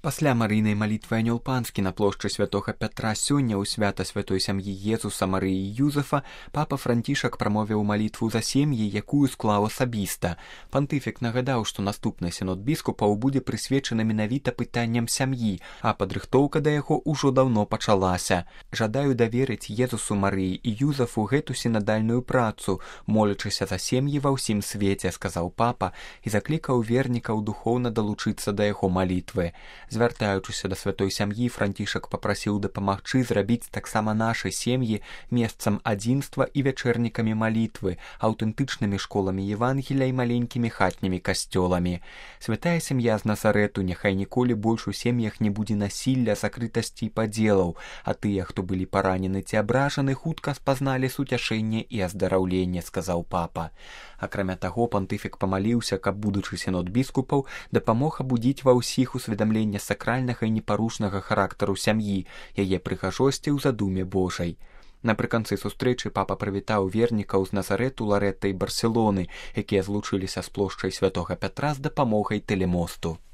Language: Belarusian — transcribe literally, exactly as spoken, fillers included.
Пасля марыйнай малітвы анёл панскі на плошчы святога Пятра сёння ў свята святой сям'і Езуса, Марыі і Юзефа папа Францішак прамовіў малітву за сем'і, якую склаў асабіста. Пантыфік нагадаў, што наступны сінод біскупаў будзе прысвечаны менавіта пытанням сям'і, а падрыхтоўка да яго ўжо даўно пачалася. Жадаю даверыць Езусу, Марыі і Юзефу гэту сінадальную працу, молячыся за сем'і ва ўсім свеце, сказаў папа і заклікаў вернікаў духоўна далучыцца да яго малітвы. Звяртаючыся да святой сям'і, Францішак папрасіў дапамагчы зрабіць таксама нашы сем'і месцам адзінства і вячэрнікамі малітвы, аўтэнтычнымі школамі Евангелія і маленькімі хатнімі касцёламі. Святая сям'я з Назарету, няхай ніколі больш у сем'ях не будзе насілля, закрытасці і падзелаў, а тыя, хто былі паранены ці абражаны, хутка спазналі суцяшэнне і аздараўленне, сказаў папа. Акрамя таго, пантыфік памаліўся, каб будучы сінод біскупаў дапамог абудзіць ва ўсіх усведамленне сакральнага і непарушнага характару сям'і, яе прыгажосці ў задуме Божай. Напрыканцы сустрэчы папа прывітаў вернікаў з Назарету, Ларэта і Барселоны, якія злучыліся з плошчай святога Пятра з дапамогай тэлемосту.